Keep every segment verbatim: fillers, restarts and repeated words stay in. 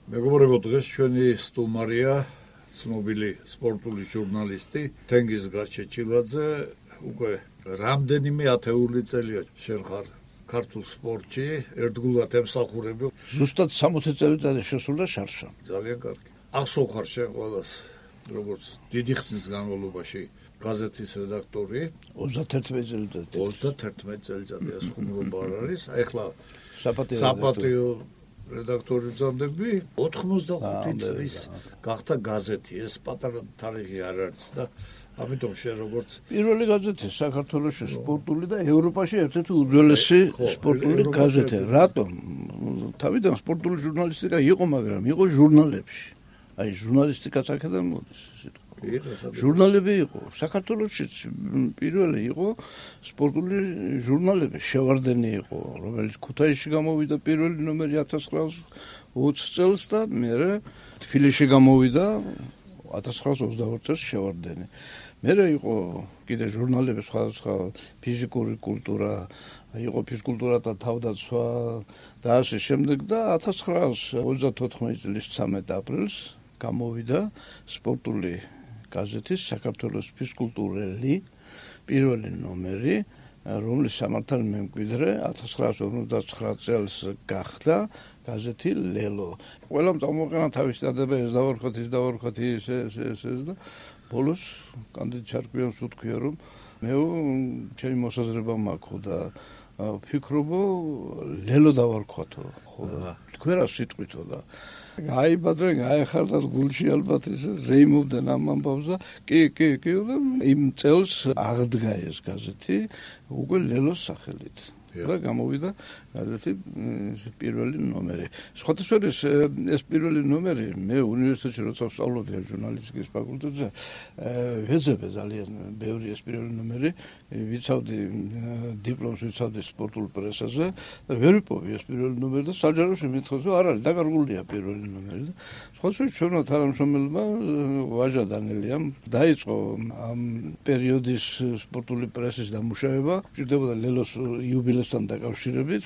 მეგობრებო, დღეს ჩვენი სტუმარია ცნობილი სპორტული ჟურნალისტი თენგიზ გაჩეჩილაძე. უკვე რამდენიმე ათეული წელია შენ ხარ ქართულ სპორტში, ერთგულად ემსახურები. ზუსტად სამოცი წელიწადი შესულა შარშა. ძალიან კარგი. ახსოვხარ შენ ყველას, როგორც დიდი ხნის განმავლობაში გაზეთის რედაქტორი. ოცდაერთმეტი წელიწადი. ოცდაერთმეტი წელიწადი ეს ხუმრობა არ არის. ახლა საპატიო საპატიო რედაქტორი ძანდები ოთხმოცდახუთი წლის გახდა გაზეთი. ეს პატარა თარიღი არ არის და ამიტომ შენ როგორც პირველი გაზეთი საქართველოში სპორტული და ევროპაში ერთ-ერთი უძველესი სპორტული გაზეთი. რატომ? თავიდან სპორტული ჟურნალისტიკა იყო, მაგრამ იყო ჟურნალებში. აი ჟურნალისტიკაც აქედან მოდის. ჟურნალები იყო. საქართველოშიც პირველი იყო სპორტული ჟურნალები. შევარდენი იყო, რომელიც ქუთაისში გამოვიდა პირველი ნომერი ათას ცხრაასი ოცი წელს და მერე თბილისში გამოვიდა ათას ცხრაასი ოცდაოთხ წელს შევარდენი. მერე იყო კიდე ჟურნალები სხვადასხვა ფიზიკური კულტურა, იყო ფიზკულტურა და თავდაცვა და ასე შემდეგ და ათას ცხრაასი ოცდათოთხმეტი წლის ცამეტი აპრილს გამოვიდა სპორტული გაზეთის საქართველოს ფიზკულტურელი პირველი ნომერი, რომლის სამართალ მემკვიდრე ათას ცხრაასი ორმოცდაცხრა წელს გახდა გაზეთი ლელო. ყველამ წამოყენა თავის დადება, ეს დავარქოთ, ის დავარქოთ, ის ეს ეს ეს და ბოლოს კანდიდ ჩარკვიანს უთქვია, რომ მე ჩემი მოსაზრება მაქვს და ვფიქრობო ლელო დავარქვათო, ხო და თქვენ რა სიტყვითო და გაიბადრენ, გაეხარდათ გულში ალბათ ეს რეიმოვდნენ ამ ამბავს და კი, კი, კი და იმ წელს აღდგა ეს გაზეთი უკვე ლელოს სახელით. და გამოვიდა გაზეთი პირველი ნომერი. სხვათა ეს პირველი ნომერი მე უნივერსიტეტში როცა ვსწავლობდი ჟურნალისტიკის ფაკულტეტზე, ვეძებე ძალიან ბევრი ეს პირველი ნომერი, ვიცავდი დიპლომს, ვიცავდი სპორტულ პრესაზე და ვერ ვიპოვე ეს პირველი ნომერი და საჯაროში მითხრეს, რომ არ არის, დაკარგულია პირველი ნომერი და სხვათა ჩვენმა თანამშრომელმა ვაჟა დანელიამ დაიწყო ამ პერიოდის სპორტული პრესის დამუშავება, ჭირდებოდა ლელოს იუბილესთან დაკავშირებით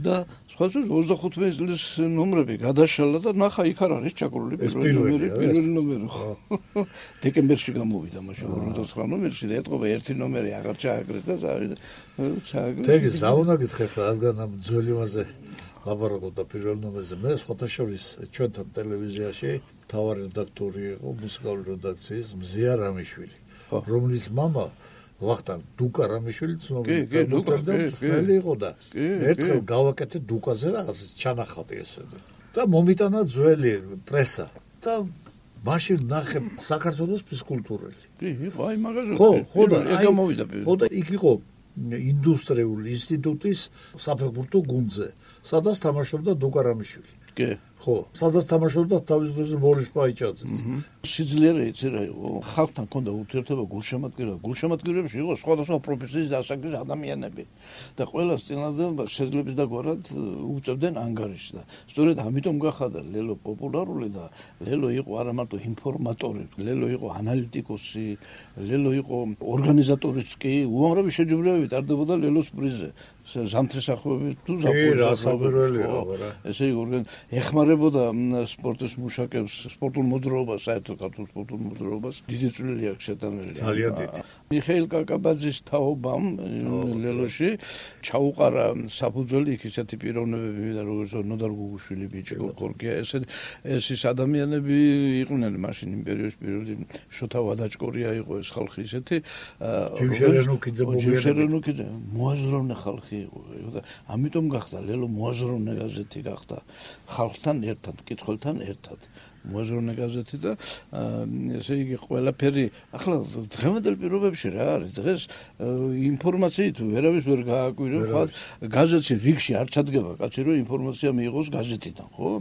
და სხვათა ოცდახუთმეტი წლის ნომრები გადაშალა და ნახა იქ არ არის ჩაკრული პირველი ნომერი, პირველი ნომერი. დეკემბერში გამოვიდა მაშინ ორმოცდაცხრა ნომერში და ეთყობა ერთი ნომერი აღარ ჩააგრეს და ჩააგრეს. თეგის რა უნდა გითხრათ, რადგან ამ ძველი მასე ლაპარაკობ და პირველ ნომერზე მე სხვათა შორის ჩვენთან ტელევიზიაში მთავარი რედაქტორი იყო მუსიკალური რედაქციის მზია რამიშვილი, რომლის მამა ვახტანგ დუკა რამიშვილი ცნობილი ფეხბურთელი იყო და ერთხელ გავაკეთე დუკაზე რაღაც ჩანახატი ესე და მომიტანა ძველი პრესა და მაშინ ნახე საქართველოს ფიზკულტურელი. კი, იყო აი მაგაზე. ხო, ხო და აი გამოვიდა. ხო და იქ იყო ინდუსტრიული ინსტიტუტის საფეხბურთო გუნდზე, სადაც თამაშობდა დუკა რამიშვილი. კი. ხო, სადაც თამაშობდა თავის დროზე ბორის პაიჭაძეც. სიძლიერე იცი რა იყო, ხალხთან ჰქონდა ურთიერთობა, გულშემატკივრება. გულშემატკივრებში იყო სხვადასხვა პროფესიის დასაქმების ადამიანები და ყველას წინააღმდეგ შეძლებს და გვარად უწევდნენ ანგარიშს და სწორედ ამიტომ გახადა ლელო პოპულარული და ლელო იყო არა მარტო ინფორმატორი, ლელო იყო ანალიტიკოსი, ლელო იყო ორგანიზატორიც კი, უამრავი შეჯიბრებები ტარდებოდა ლელოს პრიზზე. ზამთრის ახობებით თუ ზაფხულში. ესე იგი, ეხმარებოდა სპორტის მუშაკებს, სპორტულ მოძრაობას, საერთოდ ქართულ სპორტულ მოძრაობას, დიდი წვლილი აქვს შეტანილი. ძალიან დიდი. მიხეილ კაკაბაძის თაობამ ლელოში ჩაუყარა საფუძველი იქ ისეთი პიროვნებები და როგორც ნოდარ გუგუშვილი, ბიჭკო კორკია, ესე ეს ის ადამიანები იყვნენ მაშინ იმ პერიოდის პირველი შოთა ვადაჭკორია იყო ეს ხალხი ისეთი. ჯიმშერენუკიძე ჯიმშერენუკიძე მოაზროვნე ხალხი იყო და ამიტომ გახდა ლელო მოაზროვნე გაზეთი გახდა. ხალხთან ერთად, კითხველთან ერთად მოაზროვნე გაზეთი და ესე იგი ყველაფერი ახლა დღევანდელ პირობებში რა არის დღეს ინფორმაციით ვერავის ვერ გააკვირებს, გაზეთში რიგში არ ჩადგება კაცი რომ ინფორმაცია მიიღოს გაზეთიდან, ხო?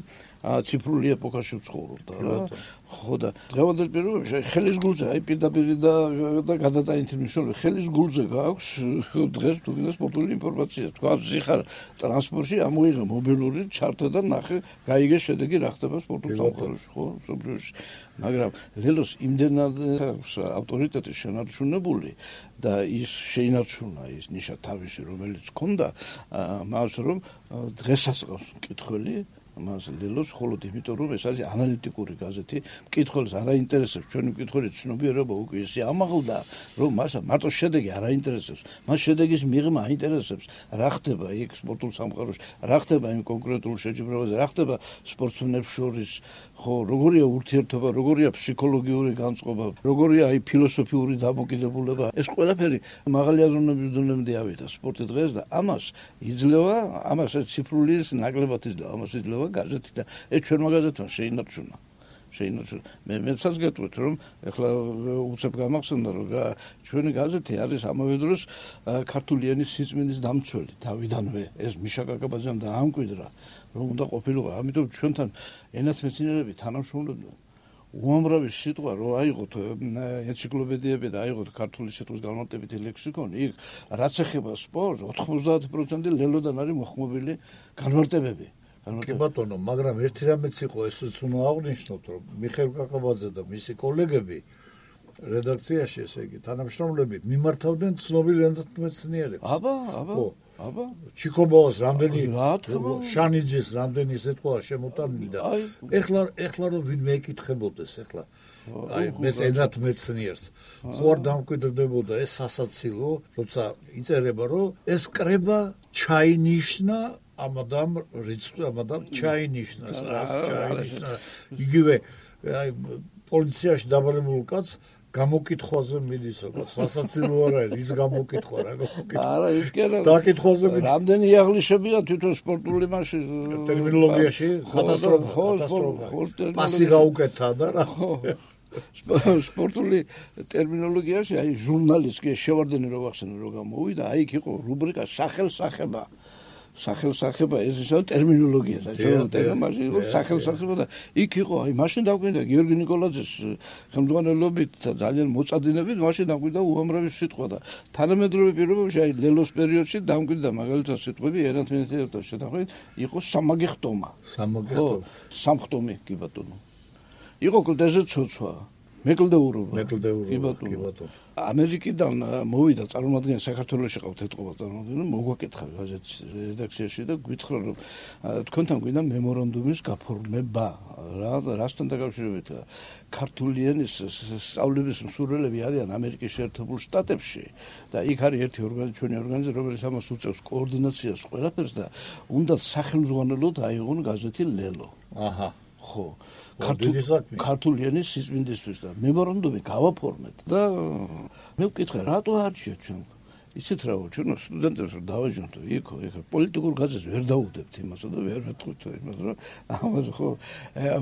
ციფრული ეპოქაში ვცხოვრობ რა. ხო და დღევანდელ პირობებში ხელის გულზე აი პირდაპირ და და გადატანითი მნიშვნელობა ხელის გულზე გაქვს დღეს თუ გინდა სპორტული ინფორმაცია. თქვა ზიხარ ტრანსპორტში ამოიღე მობილური ჩარტა და ნახე გაიგე შედეგი რა ხდება სპორტულ სამყაროში, ხო? სოფლიოში. მაგრამ ლელოს იმდენად ავტორიტეტი შენარჩუნებული და ის შეინარჩუნა ის ნიშა თავისი, რომელიც ჰქონდა მას რომ დღესაც ყავს მკითხველი მას ლელოს ხოლოდ იმიტომ რომ ეს არის ანალიტიკური გაზეთი, მკითხველს არ აინტერესებს ჩვენი მკითხველის ცნობიერება უკვე ისე ამაღლდა, რომ მას მარტო შედეგი არ აინტერესებს, მას შედეგის მიღმა აინტერესებს, რა ხდება იქ სპორტულ სამყაროში, რა ხდება იმ კონკრეტულ შეჯიბრებაზე, რა ხდება სპორტსმენებს შორის, ხო, როგორია ურთიერთობა, როგორია ფსიქოლოგიური განწყობა, როგორია აი ფილოსოფიური დამოკიდებულება, ეს ყველაფერი მაღალი აზროვნების დონემდე ავიდა სპორტი დღეს და ამას იძლევა, ამას ციფრული ნაკლებად იძლევა, ამას იძლევა გაზეთი და ეს ჩვენმა გაზეთმა შეინარჩუნა. შეინარჩუნა. მე მეცაც გეტყვით რომ ეხლა უცებ გამახსენდა რომ ჩვენი გაზეთი არის ამავე დროს ქართული ენის სიწმინდის დამცველი თავიდანვე ეს მიშა კაკაბაძემ დაამკვიდრა რომ უნდა ყოფილიყო, ამიტომ ჩვენთან ენათმეცნიერები თანამშრომლობდნენ. უამრავი სიტყვა რო აიღოთ ენციკლოპედიები და აიღოთ ქართული სიტყვის განმარტებითი ლექსიკონი, იქ რაც ეხება სპორტს, ოთხმოცდაათი პროცენტი ლელოდან არის მოხმობილი განმარტებები. კი ბატონო, მაგრამ ერთი რამეც იყო, ესეც უნდა აღნიშნოთ, რომ მიხეილ კაკაბაძე და მისი კოლეგები რედაქციაში, ესე იგი, თანამშრომლები მიმართავდნენ ცნობილ ენათმეცნიერებს. აბა, აბა. აბა ჩიკობოს რამდენი შანიძის რამდენი სიტყვა შემოტანილი და ეხლა ეხლა რომ ვინმე ეკითხებოდეს ეხლა აი მე ენათმეცნიერს ხო არ დამკვიდრდებოდა ეს სასაცილო როცა იწერება რომ ეს კრება ჩაინიშნა ამადამ რიცხვი ამადამ ჩაინიშნა რას ჩაინიშნა იგივე აი პოლიციაში დაბადებულ კაცს გამოკითხვაზე მიდის როგორც სასაცილო არ არის ის გამოკითხვა რა გამოკითხვა არა ის კი არა დაკითხვაზე მიდის რამდენი იაღლიშებია თვითონ სპორტული მასში ტერმინოლოგიაში კატასტროფა კატასტროფა პასი გაუკეთა და რა სპორტული ტერმინოლოგიაში აი ჟურნალისტი შევარდენი რო ვახსენე რო გამოვიდა აი იქ იყო რუბრიკა სახელსახება სახელსახება ეს ისო ტერმინოლოგია საერთოდ ტერმინოლოგია იყო სახელსახება და იქ იყო აი მაშინ დაგვინდა გიორგი ნიკოლაძის ხელმძღვანელობით და ძალიან მოწადინებით მაშინ დაგვინდა უამრავი სიტყვა და თანამედროვე პირობებში აი ლელოს პერიოდში დაგვინდა მაგალითად სიტყვები ენათმეცნიერებთან შეთანხმებით იყო სამაგიხტომა სამაგიხტომა სამხტომი კი ბატონო იყო კლდეზე ცოცვა მეკლდეურობა მეკლდეურობა კი ბატონო ამერიკიდან მოვიდა წარმომადგენელი საქართველოში ყავთ ეთყობა წარმომადგენელი მოგვაკითხა გაზეთის რედაქციაში და გვითხრა რომ თქვენთან გვინდა მემორანდუმის გაფორმება რა რასთან დაკავშირებით ქართული ენის სწავლების მსურველები არიან ამერიკის შეერთებულ შტატებში და იქ არის ერთი ორგანიზაცია ჩვენი ორგანიზაცია რომელიც ამას უწევს კოორდინაციას ყველაფერს და უნდა სახელმძღვანელოდ აიღონ გაზეთი ლელო აჰა ხო ქართული ენის სიწმინდისთვის და მემორანდუმი გავაფორმეთ და მე ვკითხე რატო არჩიეთ ჩვენ ისეთ რა ჩვენ სტუდენტებს რომ დავაჯამთ იქ იქ პოლიტიკურ გაზეთს ვერ დაუდებთ იმასა და ვერ ვეთქვით იმას რომ ამას ხო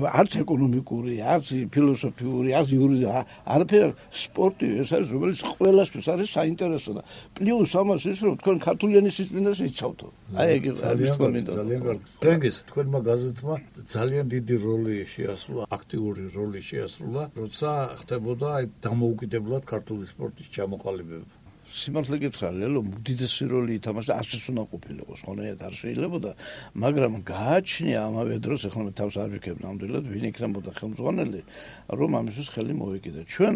არც ეკონომიკური არც ფილოსოფიური არც იურიდიული არაფერ სპორტი ეს არის რომელიც ყველასთვის არის საინტერესო და პლუს ამას ის რომ თქვენ ქართული ენის სიწმინდეს იცავთ აი ეგ ძალიან ძალიან კარგი ფრენგის თქვენმა გაზეთმა ძალიან დიდი როლი შეასრულა აქტიური როლი შეასრულა როცა ხდებოდა აი დამოუკიდებლად ქართული სპორტის ჩამოყალიბება სიმართლე გითხრა ლელო უდიდესი როლი ითამაშა არც უნდა ყოფილიყო ხონერად არ შეიძლებოდა მაგრამ გააჩნია ამავე დროს ახლა მე თავს არ ვიქებ ნამდვილად ვინ იქნებოდა ხელმძღვანელი რომ ამისთვის ხელი მოვეკიდა ჩვენ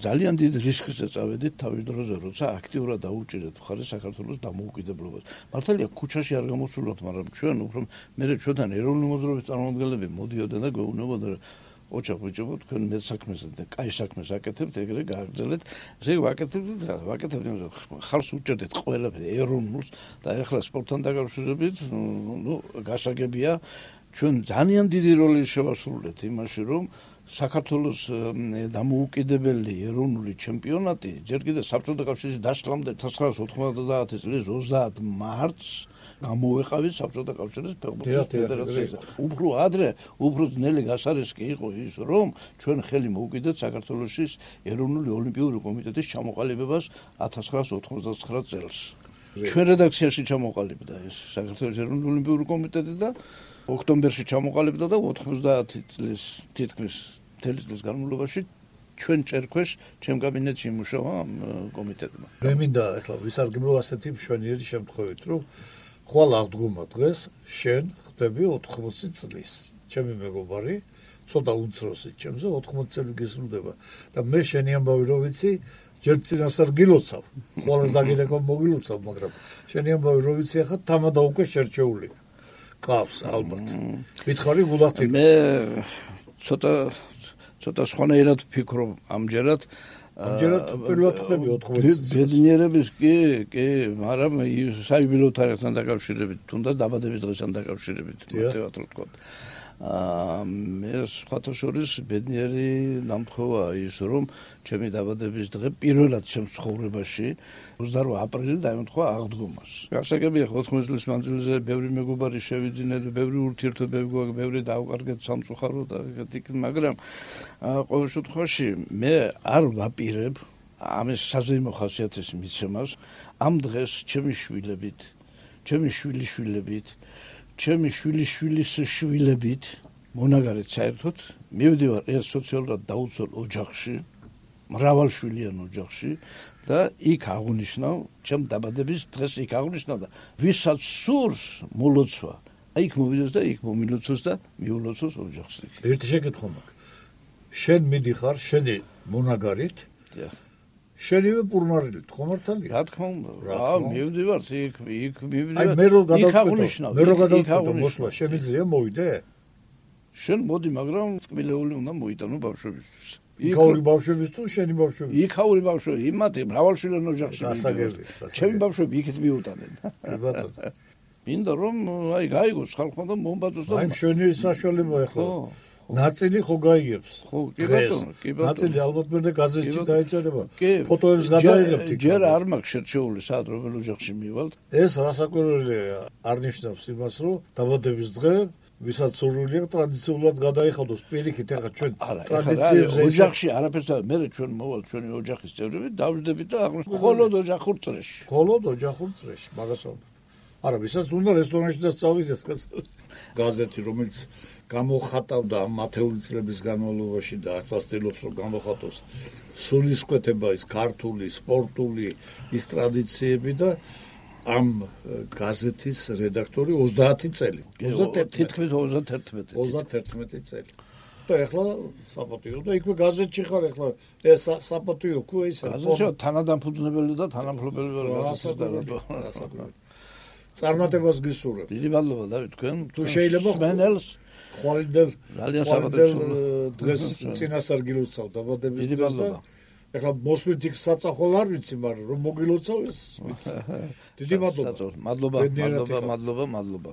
ძალიან დიდ რისკზე წავედით თავის დროზე როცა აქტიურად დაუჭირეთ მხარს საქართველოს დამოუკიდებლობას მართალია ქუჩაში არ გამოსულოთ მაგრამ ჩვენ უფრო მე ჩვენთან ეროვნული მოძრაობის წარმომადგენლები მოდიოდნენ და გვეუბნებოდნენ ოჩახ ბიჭო თქვენ მე საქმეს და კაი საქმეს აკეთებთ ეგრე გააგრძელეთ ესე ვაკეთებთ რა ვაკეთებთ ხალხს უჭერდეთ ყველაფერს ეროვნულს და ეხლა სპორტთან დაკავშირებით ნუ გასაგებია ჩვენ ძალიან დიდი როლი შევასრულეთ იმაში რომ საქართველოს დამოუკიდებელი ეროვნული ჩემპიონატი ჯერ კიდევ საბჭოთა კავშირის დაშლამდე თოთხმეტ ოცდაათი წლის ოცდაათ მარტს გამოვეყავით საბჭოთა კავშირის ფეხბურთის ფედერაციაზე. უფრო ადრე, უფრო ძნელი გასარესკი იყო ის, რომ ჩვენ ხელი მოვუკიდეთ საქართველოს ეროვნული ოლიმპიური კომიტეტის ჩამოყალიბებას ათას ცხრაას ოთხმოცდათცხრა წელს. ჩვენ რედაქციაში ჩამოყალიბდა ეს საქართველოს ეროვნული ოლიმპიური კომიტეტი და ოქტომბერში ჩამოყალიბდა და ოცდაათი წლის თითქმის მთელი წლის განმავლობაში ჩვენ წერქვეშ ჩემ კაბინეტში იმუშავა კომიტეტმა. მე მინდა ახლა ვისარგებლო ასეთი მშვენიერი შემთხვევით, რომ ხვალ აღდგომა დღეს შენ ხდები ოთხმოცი წლის. ჩემი მეგობარი, ცოტა უმცროსი ჩემზე ოთხმოცი წელი გესრულდება და მე შენი ამბავი რო ვიცი, ჯერ წინასწარ გილოცავ. ხვალ დაგიდეკო მოგილოცავ, მაგრამ შენი ამბავი რო ვიცი, ახლა თამადა უკვე შერჩეული. ყავს ალბათ. მითხარი გულახდით. მე ცოტა ცოტა სხვანაირად ვფიქრობ ამჯერად. ამჯერად პირველად ხები ოთხმოცი წელს. ბედნიერების კი, კი, მაგრამ საიუბილეო თარიღთან დაკავშირებით, თუნდაც დაბადების დღესთან დაკავშირებით, მარტივად რო ვთქვა. აა მე სხვათა შორის ბედნიერი ნამთხოვაა ის, რომ ჩემი დაბადების დღე პირველად ჩემს ცხოვრებაში ოცდაოთხი აპრილი დაემთხვა აღდგომას. გასაგებია ოთხმოცი წლის მანძილზე ბევრი მეგობარი შევიძინეთ, ბევრი ურთიერთობები გვაქვს, ბევრი დავკარგეთ სამწუხაროდ და ეგეთი, მაგრამ ყოველ შემთხვევაში მე არ ვაპირებ ამის საზეიმო ხასიათის მიცემას ამ დღეს ჩემი შვილებით, ჩემი შვილიშვილებით ჩემი შვილიშვილის შვილებით მონაგარეთ საერთოდ მივდივარ ერთ სოციალურად დაუცველ ოჯახში, მრავალშვილიან ოჯახში და იქ აღნიშნავ ჩემ დაბადების დღეს იქ აღნიშნავ და ვისაც სურს მოლოცვა, იქ მოვიდეს და იქ მომილოცოს და მიულოცოს ოჯახს. ერთი შეკითხვა მაქვს. შენ მიდიხარ შენი მონაგარით? დიახ. შენივე პურმარილით ხომ მართალია? რა თქმა უნდა. აა მივდივარ იქ იქ მივდივარ. აი მე რო გადავწყვეტო, მე რო გადავწყვეტო მოსვლა, შემიძლია მოვიდე? შენ მოდი, მაგრამ წკბილეული უნდა მოიტანო ბავშვებისთვის. იქაური ბავშვების თუ შენი ბავშვების? იქაური ბავშვები, იმათი მრავალშვილიან ოჯახში. გასაგები. ჩემი ბავშვები იქით მიუტანენ. კი ბატონო. მინდა რომ აი გაიგოს ხალხმა და მომბაძოს და აი შენი საშუალება ახლა. ნაწილი ხო გაიგებს? ხო, კი ბატონო, კი ბატონო. ნაწილი ალბათ მე გაზეთში დაეწერება. ფოტოებს გადაიღებთ იქ. ჯერ არ მაქვს შერჩეული სად რომელ ოჯახში მივალთ. ეს რასაკვირველია, არნიშნავს იმას, რომ დაბადების დღე ვისაც სურვილი აქვს ტრადიციულად გადაიხადოს პირიქით, ახლა ჩვენ ტრადიციებზე ოჯახში არაფერს მე ჩვენ მოვალ ჩვენი ოჯახის წევრები დავждებით და აღნიშნავ მხოლოდ ოჯახურ წრეში. მხოლოდ ოჯახურ წრეში, მაგას ვამბობ. არა, ვისაც უნდა რესტორანში და სწავლდეს გაზეთი, რომელიც გამოხატავდა მათეული წლების განმავლობაში და ახლა ცდილობს რომ გამოხატოს სულისკვეთება ის ქართული, სპორტული ის ტრადიციები და ამ გაზეთის რედაქტორი ოცდაათი წელი. თითქმის ოცდაათი ოცდაათი წელი. და ახლა საპატიო და იქვე გაზეთში ხარ ახლა ეს საპატიო ხო ისა. გაზეთში თანადამფუძნებელი და თანამფლობელი ვარ გაზეთის და რატო. წარმატებას გისურვებ. დიდი მადლობა დავით თქვენ. თუ შეიძლება მენელს ხვალინდელ ძალიან საბადებს დღეს წინასწარ გილოცავ დაბადების დღეს და ეხლა მოსვლით იქ საწახვალ არ ვიცი, მაგრამ რომ მოგილოცავ ეს ვიცი. დიდი მადლობა. მადლობა, მადლობა, მადლობა, მადლობა.